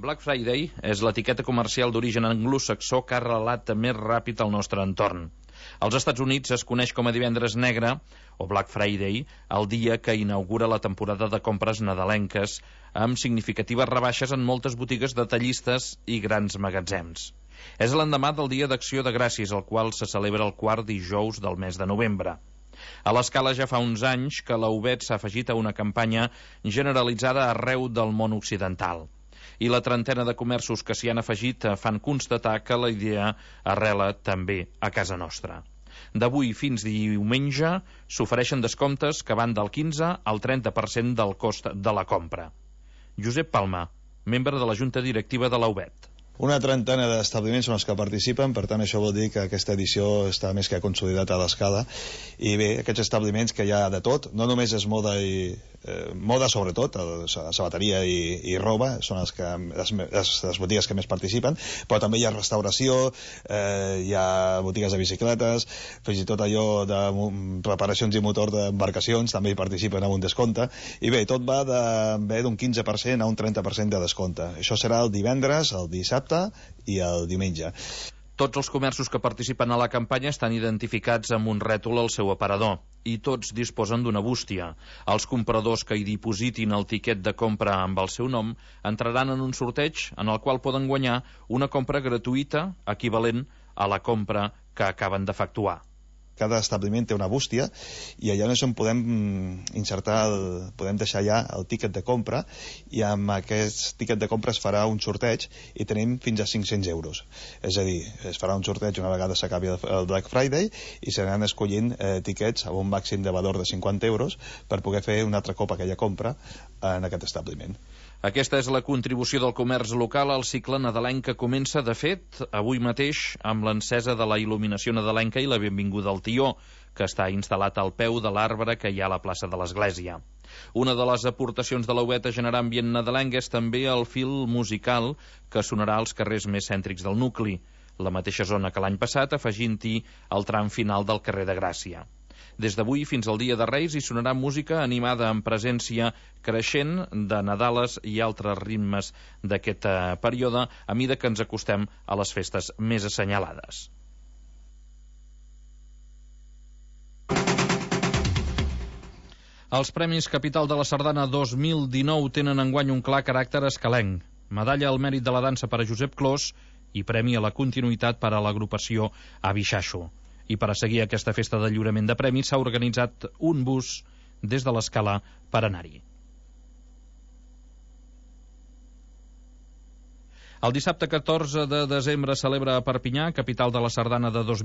Black Friday és l'etiqueta comercial d'origen anglosaxó que ha arrelat més ràpid al nostre entorn. Als Estats Units es coneix com a Divendres Negre o Black Friday, el dia que inaugura la temporada de compres nadalenques, amb significatives rebaixes en moltes botigues detallistes i grans magatzems. És l'endemà del Dia d'Acció de Gràcies, el qual se celebra el quart dijous del mes de novembre. A l'escala ja fa uns anys que la UBET s'ha afegit a una campanya generalitzada arreu del món occidental. I la trentena de comerços que s'hi han afegit fan constatar que la idea arrela també a casa nostra. D'avui fins diumenge s'ofereixen descomptes que van del 15 al 30% del cost de la compra. Josep Palma, membre de la Junta Directiva de la UBET. Una trentena d'establiments són els que participen, per tant això vol dir que aquesta edició està més que consolidat a l'escala. I bé, aquests establiments que hi ha de tot, no només és moda i moda sobretot, sabateria i roba són les botigues que més participen, però també hi ha restauració, hi ha botigues de bicicletes, fins i tot allò de reparacions i motor d'embarcacions també hi participen amb un descompte, i bé, tot va d'un 15% a un 30% de descompte. Això serà el divendres, el dissabte i el diumenge. Tots els comerços que participen a la campanya estan identificats amb un rètol al seu aparador i tots disposen d'una bústia. Els compradors que hi dipositin el tiquet de compra amb el seu nom entraran en un sorteig en el qual poden guanyar una compra gratuïta equivalent a la compra que acaben d'efectuar. Cada establiment té una bústia i allà és on podem insertar, podem deixar ja el tíquet de compra, i amb aquest tíquet de compra es farà un sorteig i tenim fins a 500 euros. És a dir, es farà un sorteig una vegada s'acabi el Black Friday i s'aran escollint tiquets amb un màxim de valor de 50 euros per poder fer un altre cop aquella compra en aquest establiment. Aquesta és la contribució del comerç local al cicle nadalenc que comença, de fet, avui mateix amb l'encesa de la il·luminació nadalenca i la benvinguda al tió, que està instal·lat al peu de l'arbre que hi ha a la plaça de l'Església. Una de les aportacions de la UBET a generar ambient nadalenc és també el fil musical que sonarà als carrers més cèntrics del nucli, la mateixa zona que l'any passat, afegint-hi el tram final del carrer de Gràcia. Des d'avui fins al dia de Reis hi sonarà música animada amb presència creixent de Nadales i altres ritmes d'aquest període a mida que ens acostem a les festes més assenyalades. Els Premis Capital de la Sardana 2019 tenen enguany un clar caràcter escalenc. Medalla al mèrit de la dansa per a Josep Clos i premi a la continuïtat per a l'agrupació Abixaixo. I per a seguir aquesta festa de lliurament de premis s'ha organitzat un bus des de l'Escala per anar-hi. El dissabte 14 de desembre celebra a Perpinyà, capital de la Sardana de 2019,